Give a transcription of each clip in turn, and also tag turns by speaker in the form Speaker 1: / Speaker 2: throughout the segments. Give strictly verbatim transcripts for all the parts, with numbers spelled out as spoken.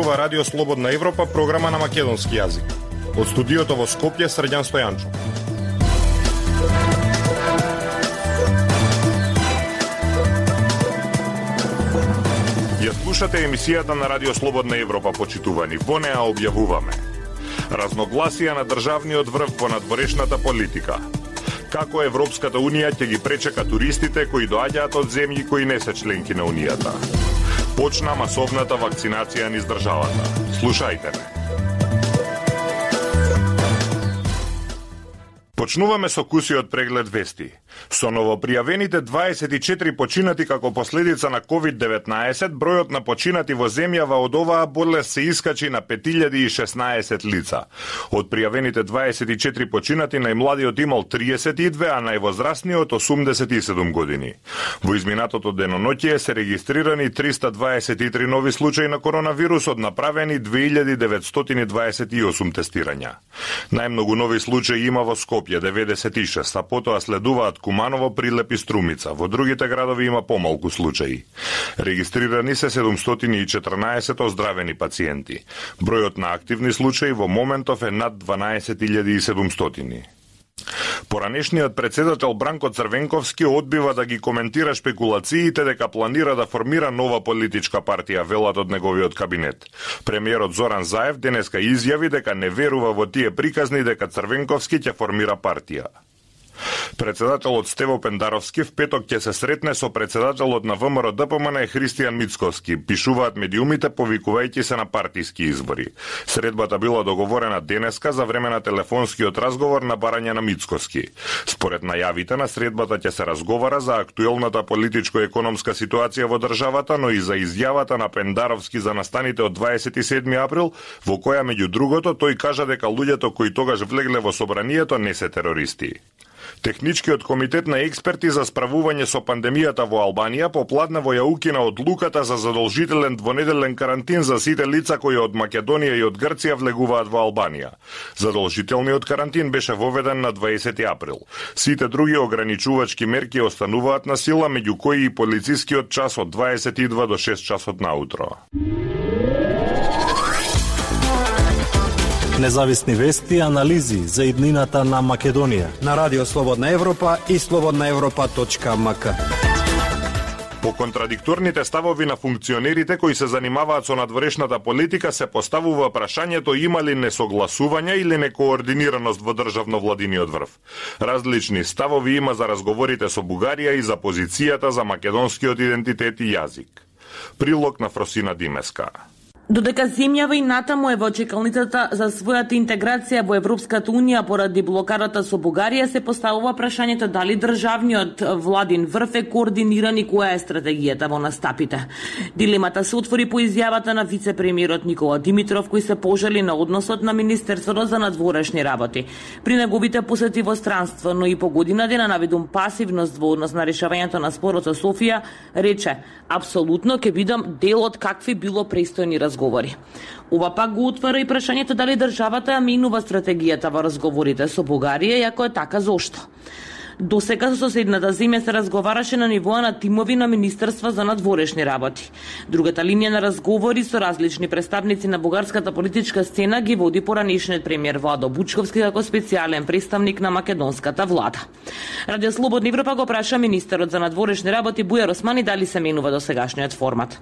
Speaker 1: зборува Радио Слободна Европа, програма на македонски јазик. Од студиото во Скопје, Срđan Стојанчов. Ја слушате емисијата на Радио Слободна Европа, почитувани. Во неа објавуваме разногласија на државниот врв по надворешната политика. Како Европската Унија ќе ги пречека туристите кои доаѓаат од земји кои не се членки на Унијата. Почна масовната вакцинација низ државата. Слушајте ме. Почнуваме со кусиот преглед вести. Со новопријавените дваесет и четири починати како последица на ковид деветнаесет, бројот на починати во земјава од оваа болест се искачи на пет илјади и шеснаесет лица. Од пријавените дваесет и четири починати, најмладиот имал триесет и две, а највозрасниот осумдесет и седум години. Во изминатото деноноќие се регистрирани триста дваесет и три нови случаи на коронавирусот, направени две илјади деветстотини дваесет и осум тестирања. Најмногу нови случаи има во Скопје, деветдесет и шест, а потоа следуваат Куманово, Прилеп и Струмица. Во другите градови има помалку случаи. Регистрирани се седумстотини и четрнаесет оздравени пациенти. Бројот на активни случаи во моментов е над дванаесет илјади и седумстотини. Поранешниот председател Бранко Црвенковски одбива да ги коментира шпекулациите дека планира да формира нова политичка партија, велат од неговиот кабинет. Премиерот Зоран Заев денеска изјави дека не верува во тие приказни дека Црвенковски ќе формира партија. Председателот Стево Пендаровски в петок ќе се сретне со председателот на ВМРО Д П М Н Христијан Мицковски, пишуваат медиумите повикувајќи се на партиски избори. Средбата била договорена денеска за време на телефонскиот разговор на барање на Мицковски. Според најавите на средбата ќе се разговара за актуелната политичко-економска ситуација во државата, но и за изјавата на Пендаровски за настаните од дваесет и седми април, во која меѓу другото тој кажа дека луѓето кои тогаш влегле во собранието не се терористи. Техничкиот комитет на експерти за справување со пандемијата во Албанија попладне во јаукина одлуката за задолжителен двонеделен карантин за сите лица кои од Македонија и од Грција влегуваат во Албанија. Задолжителниот карантин беше воведен на дваесети април. Сите други ограничувачки мерки остануваат на сила, меѓу кои и полицискиот час од дваесет и два до шест часот наутро.
Speaker 2: Независни вести и анализи за иднината на Македонија
Speaker 3: на Радио Слободна Европа и слободна европа точка м к.
Speaker 1: По контрадикторните ставови на функционерите кои се занимаваат со надворешната политика се поставува прашањето има ли несогласување или некоординираност во државно-владиниот врв. Различни ставови има за разговорите со Бугарија и за позицијата за македонскиот идентитет и јазик. Прилог на Фросина Димеска.
Speaker 4: Додека земјава и натаму е во чекалницата за својата интеграција во Европската Унија поради блокадата со Бугарија, се поставува прашањето дали државниот владин врв е координиран и која е стратегијата во настапите. Дилемата се отвори по изјавата на вице-премиерот Никола Димитров, кој се пожали на односот на Министерството за надворешни работи. При неговите посети во странство, но и по година дена наведум пасивност во однос на решавањето на спорот со Софија, рече: апсолутно ќе бидам дел од какви било престојни разговори. Ова пак го отвара и прашањето дали државата ја менува стратегијата во разговорите со Бугарија, и ако е така, зошто? Досега со соседната земја се разговараше на нивоа на тимови на Министерство за надворешни работи. Другата линија на разговори со различни представници на бугарската политичка сцена ги води поранешниот премиер Владо Бучковски како специјален представник на македонската влада. Радио Слободна Европа го праша министерот за надворешни работи Бујар Османи дали се менува досегашниот формат.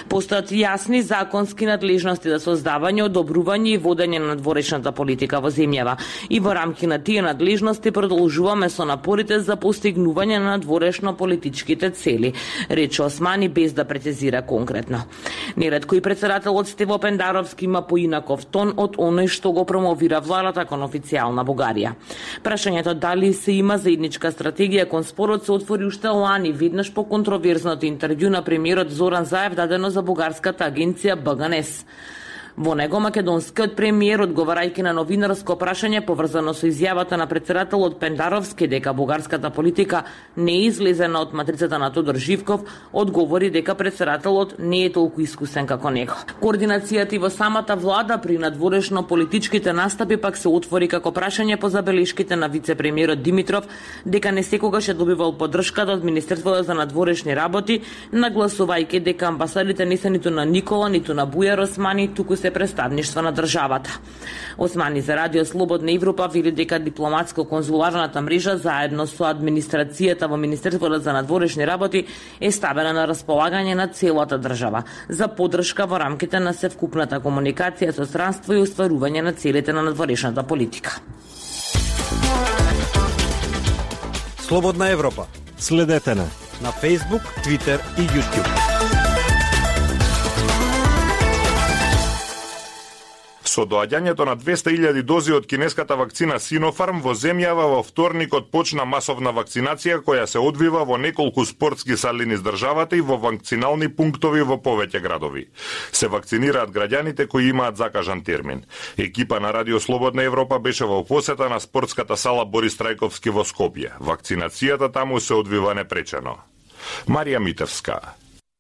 Speaker 4: Постојат јасни законски надлежности за создавање, одобрување и водење на надворешната политика во земјава. И во рамки на тие надлежности продолжуваме со напорите за постигнување на надворешно политичките цели, рече Османи без да прецизира конкретно. Неретко и председателот Стево Пендаровски има поинаков тон од оној што го промовира владата кон официјална Бугарија. Прашањето дали се има заедничка стратегија кон спорот се отвори уште лани, веднаш по контроверзното интервју на премиерот Зоран Заев дадено за бугарската агенција Б Г Н С. Во него македонскиот премиер, одговарајќи на новинарско прашање поврзано со изјавата на претседателот Пендаровски дека бугарската политика не е излезена од матрицата на Тодор Живков, одговори дека претседателот не е толку искусен како него. Координацијата во самата влада при надворешно политичките настапи пак се отвори како прашање по забелешките на вице-премиерот Димитров дека не секогаш е добивал поддршката од Министерството за надворешни работи, нагласувајќи дека амбасадите не се ниту на Никола, ниту на Бујар Османи, туку се представништва на државата. Османи за Радио Слободна Европа вели дека дипломатско-конзуларната мрежа заедно со администрацијата во Министерството за надворешни работи е ставена на располагање на целата држава за поддршка во рамките на севкупната комуникација со странство и остварување на целите на надворешната политика.
Speaker 3: Слободна Европа.
Speaker 2: Следете на
Speaker 3: на Facebook, Twitter и YouTube.
Speaker 1: Со доаѓањето на двесте илјади дози од кинеската вакцина Синофарм во земјава во вторникот почна масовна вакцинација која се одвива во неколку спортски сали низ државата и во вакцинални пунктови во повеќе градови. Се вакцинираат граѓаните кои имаат закажан термин. Екипа на Радио Слободна Европа беше во посета на спортската сала Борис Трајковски во Скопје. Вакцинацијата таму се одвива непречено. Марија Митевска.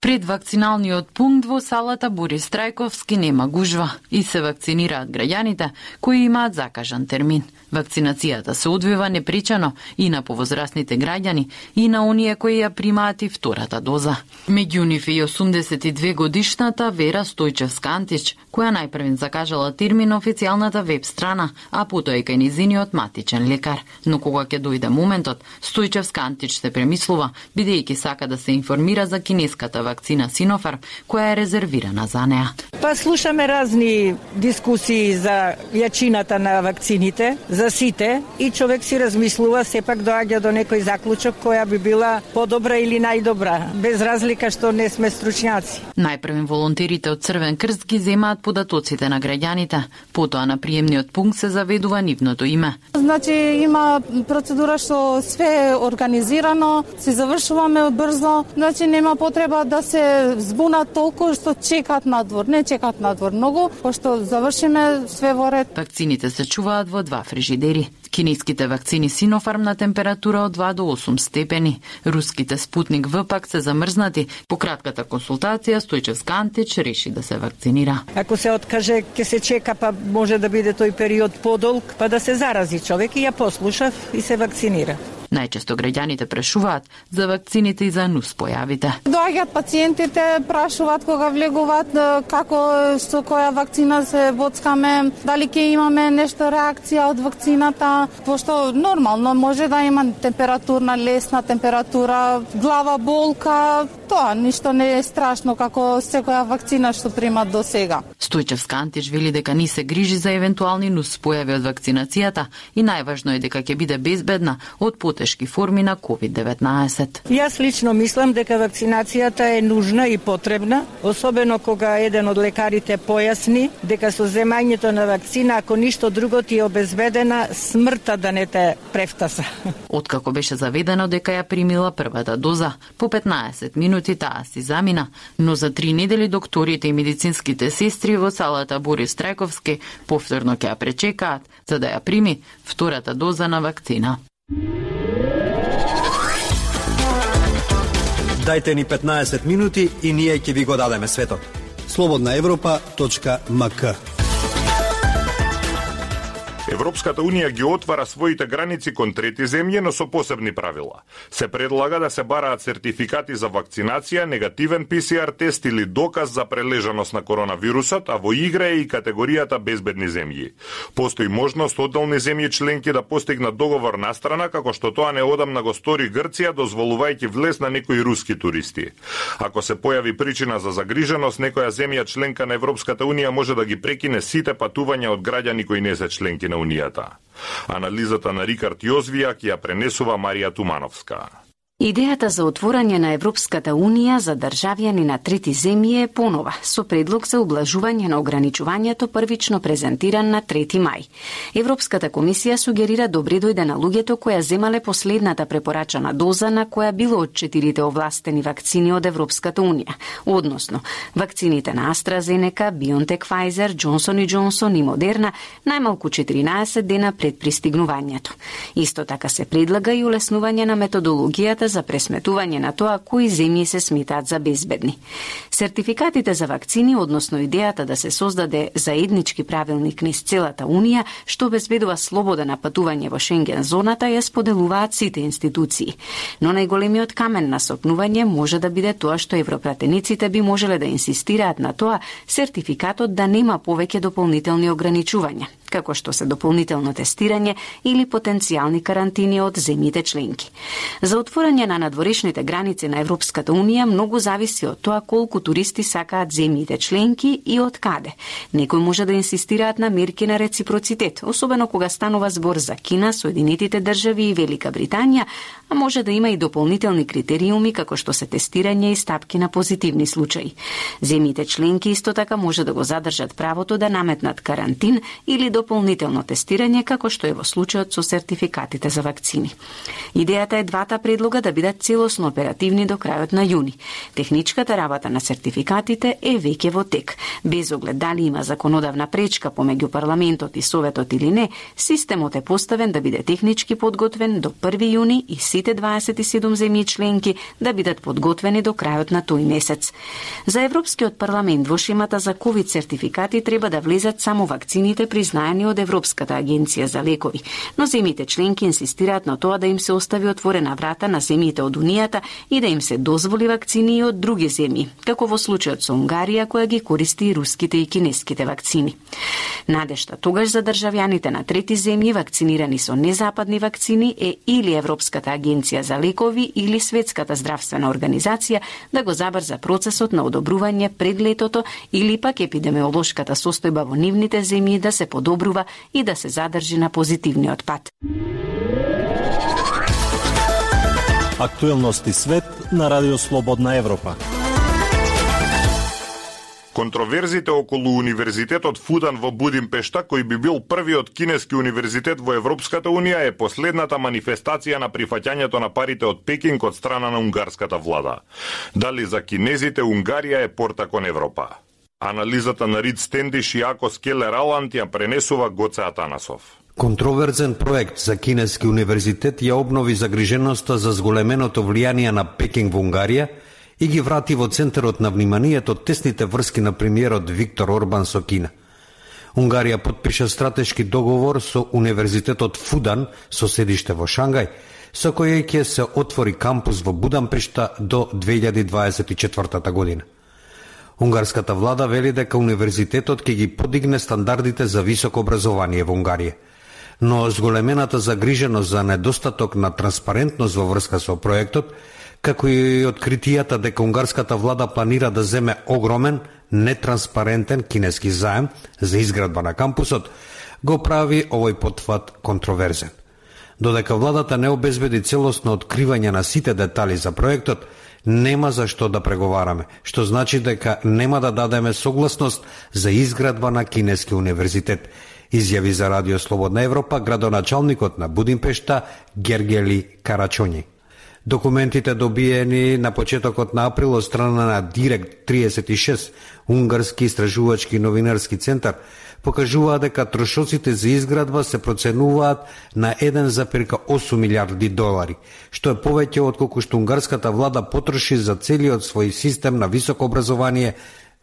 Speaker 5: Пред вакциналниот пункт во салата Борис Трајковски нема гужва и се вакцинираат граѓаните кои имаат закажан термин. Вакцинацијата се одвива непречено и на повозрасните граѓани и на оние кои ја примаат и втората доза. Меѓу нив и осумдесет и две годишната Вера Стојчевска-Антич, која најпрвен закажала термин на официјалната веб страна, а потоа и кај низиниот матичен лекар. Но кога ќе дојде моментот, Стојчевска-Антич се премислува, бидејќи сака да се информира за кинеската вакцина Синофарм, која е резервирана за неа.
Speaker 6: Па слушаме разни дискусии за јачината на вакцините, за сите, и човек си размислува, сепак доаѓа до некој заклучок која би била подобра или најдобра, без разлика што не сме стручњаци.
Speaker 5: Најпрвен волонтерите од Црвен крст ги земаат податоците на граѓаните, потоа на приемниот пункт се заведува нивното име.
Speaker 7: Значи има процедура што све е организирано, се завршуваме брзо, значи нема потреба да се збунат толку што чекат надвор, не чекат надвор многу, пошто завршиме све во ред.
Speaker 5: Вакцините се чуваат во два фрижидери. Кинеските вакцини Синофарм на температура од два до осум степени. Руските Спутник В пак се замрзнати. По кратката консултација Стојчевска-Антич реши да се вакцинира.
Speaker 6: Ако се откаже, ќе се чека, па може да биде тој период подолг, па да се зарази човек, и ја послушав и се вакцинира.
Speaker 5: Најчесто граѓаните прашуваат за вакцините и за нуспојавите.
Speaker 7: Доаѓаат пациентите, прашуваат кога влегуваат како со која вакцина се боцкаме, дали ќе имаме нешто реакција од вакцината, пошто нормално може да има температурна, лесна температура, глава болка, тоа ништо не е страшно како секоја вакцина што примат до сега.
Speaker 5: Стојчевска-Антич вели дека ни се грижи за евентуални нуспојави од вакцинацијата и најважно е дека ќе биде безбедна од потешки форми на ковид деветнаесет.
Speaker 6: Јас лично мислам дека вакцинацијата е нужна и потребна, особено кога еден од лекарите појасни дека со земањето на вакцина, ако ништо друго, ти е обезбедена смртта да не те префтаса.
Speaker 5: Откако беше заведено дека ја примила првата доза, по петнаесет минути таа си замина, но за три недели докторите и медицинските сестри во салата Борис Трајковски повторно ќе ја пречекаат за да ја прими втората доза на вакцина.
Speaker 3: Дајте ни петнаесет минути и ние ќе ви го дадеме светот. слободна европа точка ем ка.
Speaker 1: Европската Унија ги отвара своите граници кон трети земји, но со посебни правила. Се предлага да се бараат сертификати за вакцинација, негативен пе се ар тест или доказ за прележаност на коронавирусот, а во игра е и категоријата безбедни земји. Постои можност одделни земји членки да постигнат договор настрана, како што тоа неодамна го стори Грција, дозволувајќи влез на некои руски туристи. Ако се појави причина за загриженост, некоја земја членка на Европската Унија може да ги прекине сите патувања од граѓани кои не се членки на Унијата. Анализата на Рикард Јозвијак ја пренесува Марија Тумановска.
Speaker 8: Идејата за отворање на Европската Унија за државјани на трети земји е понова, со предлог за ублажување на ограничувањето првично презентиран на трети мај. Европската комисија сугерира добре дојде на луѓето која земале последната препорачана доза на која било од четирите овластени вакцини од Европската Унија, односно вакцините на AstraZeneca, BioNTech, Pfizer, Johnson и Johnson и Moderna најмалку четиринаесет дена пред пристигнувањето. Исто така се предлага и улеснување на методологијата за пресметување на тоа кои земји се сметаат за безбедни. Сертификатите за вакцини, односно идејата да се создаде заеднички правилник низ целата Унија, што обезбедува слобода на патување во Шенген зоната, ја споделуваат сите институции. Но најголемиот камен на сопнување може да биде тоа што европратениците би можеле да инсистираат на тоа сертификатот да нема повеќе дополнителни ограничувања, како што се дополнително тестирање или потенцијални карантини од земјите членки. За отворање на надворешните граници на Европската Унија многу зависи од тоа колку туристи сакаат земјите членки и од каде. Некои може да инсистираат на мерки на реципроцитет, особено кога станува збор за Кина, Соединетите држави и Велика Британија, а може да има и дополнителни критериуми како што се тестирање и стапки на позитивни случаи. Земјите членки исто така може да го задржат правото да наметнат карантин или дополнително тестирање, како што е во случајот со сертификатите за вакцини. Идејата е двата предлога да бидат целосно оперативни до крајот на јуни. Техничката работа на сертификатите е веќе во тек. Без оглед дали има законодавна пречка помеѓу парламентот и советот или не, системот е поставен да биде технички подготвен до први јуни и сите дваесет и седум земји членки да бидат подготвени до крајот на тој месец. За Европскиот парламент во шемата за ковид сертификати треба да влезат само вакцините признаени од Европската агенција за лекови, но земјите членки инсистираат на тоа да им се остави отворена врата на земјите од Унијата и да им се дозволи вакцини и од други земји, како во случајот со Унгарија која ги користи и руските и кинеските вакцини. Надежта тогаш за државјаните на трети земји вакцинирани со незападни вакцини е или Европската агенција за лекови или Светската здравствена организација да го забрза процесот на одобрување пред летото или пак епидемиолошката состојба во нивните земји да се подобрува и да се задржи на позитивниот пат.
Speaker 2: Актуелности свет на Радио Слободна Европа.
Speaker 1: Контроверзите околу Универзитетот Фудан во Будимпешта, кој би бил првиот кинески универзитет во Европската Унија, е последната манифестација на прифаќањето на парите од Пекинг од страна на унгарската влада. Дали за кинезите Унгарија е порта кон Европа? Анализата на Рид Стендиш и Ако Скелер Аланд ја пренесува Гоце Атанасов.
Speaker 3: Контроверзен проект за кинески универзитет ја обнови загриженоста за зголеменото влијание на Пекинг во Унгарија и ги врати во центарот на вниманието тесните врски на премиерот Виктор Орбан со Кина. Унгарија потпиша стратешки договор со Универзитетот Фудан со седиште во Шангај, со кој ќе се отвори кампус во Будимпешта до две илјади дваесет и четвртата година. Унгарската влада вели дека универзитетот ќе ги подигне стандардите за високо образование во Унгарија. Но зголемената загриженост за недостаток на транспарентност во врска со проектот, како и откритијата дека унгарската влада планира да земе огромен, нетранспарентен кинески заем за изградба на кампусот, го прави овој потфат контроверзен. Додека владата не обезбеди целосно откривање на сите детали за проектот, нема за што да преговараме, што значи дека нема да дадеме согласност за изградба на кинески универзитет, изјави за Радио Слободна Европа градоначалникот на Будимпешта Гергели Карачоњи. Документите добиени на почетокот на април од страна на Директ триесет и шест, унгарски истражувачки новинарски центар, покажуваат дека трошоците за изградба се проценуваат на еден зарез осум милиарди долари, што е повеќе од колку што унгарската влада потроши за целиот свој систем на високо образование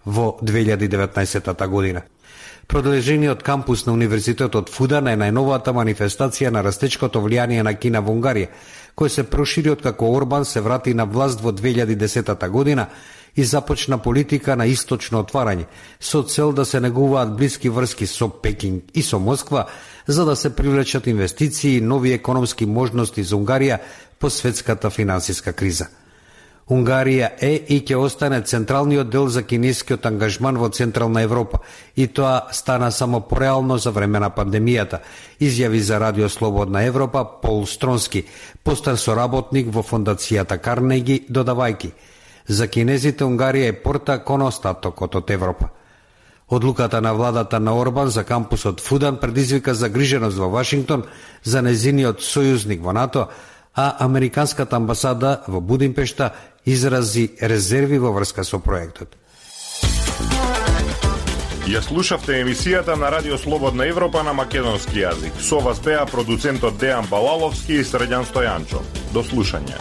Speaker 3: во две илјади и деветнаесетта година. Продолжениот кампус на Универзитетот Фудан е најновата манифестација на растечкото влијание на Кина во Унгарија, кој се прошири откако Орбан се врати на власт во две илјади и десетта година и започна политика на источно отварање, со цел да се негуваат блиски врски со Пекинг и со Москва, за да се привлечат инвестиции и нови економски можности за Унгарија по светската финансиска криза. Унгарија е и ќе остане централниот дел за кинескиот ангажман во Централна Европа и тоа стана само пореално за време на пандемијата, изјави за Радио Слободна Европа Пол Стронски, постар соработник во фондацијата Карнеги, додавајки: за кинезите Унгарија е порта кон остатокот од Европа. Одлуката на владата на Орбан за кампусот Фудан предизвика загриженост во Вашингтон за незиниот сојузник во НАТО, а Американската амбасада во Будимпешта изрази резерви во врска со проектот.
Speaker 1: Ја слушавте емисијата на Радио Слободна Европа на македонски јазик. Со вас беа продуцентот Дејан Балаловски и Средјан Стојанчо. До слушање.